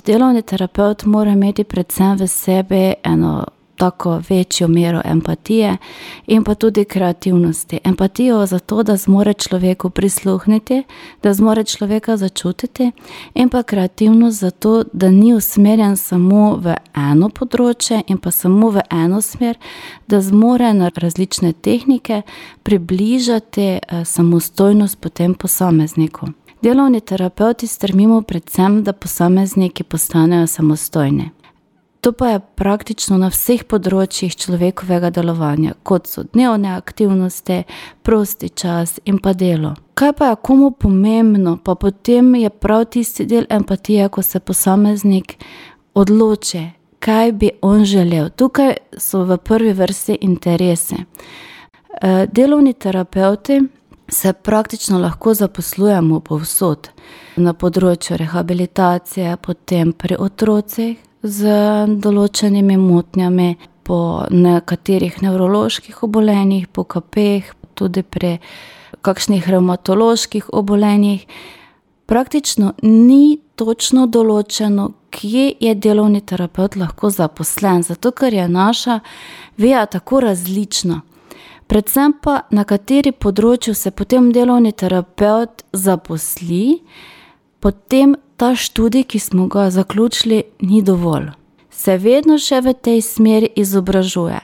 Delovni terapevt mora imeti predvsem v sebi eno tako večjo mero empatije in pa tudi kreativnosti. Empatijo zato, da zmore človeku prisluhniti, da zmore človeka začutiti, in pa kreativnost zato, da ni usmerjen samo v eno področje in pa samo v eno smer, da zmore na različne tehnike približati samostojnost potem posamezniku. Delovni terapevti stremimo predvsem, da posamezniki postanejo samostojni. To pa je praktično na vseh področjih človekovega delovanja, kot so dnevne aktivnosti, prosti čas in pa delo. Kaj pa je komu pomembno, pa potem je prav tisti del empatije, ko se posameznik odloči, kaj bi on želel. Tukaj so v prvi vrsti interesi. Delovni terapevti se praktično lahko zaposlujemo povsod. Na področju rehabilitacije, potem pri otrocih z določenimi motnjami, po nekaterih nevroloških obolenjih, po KP-jih, tudi pri kakšnih revmatoloških obolenjih. Praktično ni točno določeno, kje je delovni terapevt lahko zaposlen, zato ker je naša veja tako različna. Predvsem pa na kateri področju se potem delovni terapevt zaposli, potem ta študij, ki smo ga zaključili, ni dovolj. Se vedno še v tej smeri izobražuje.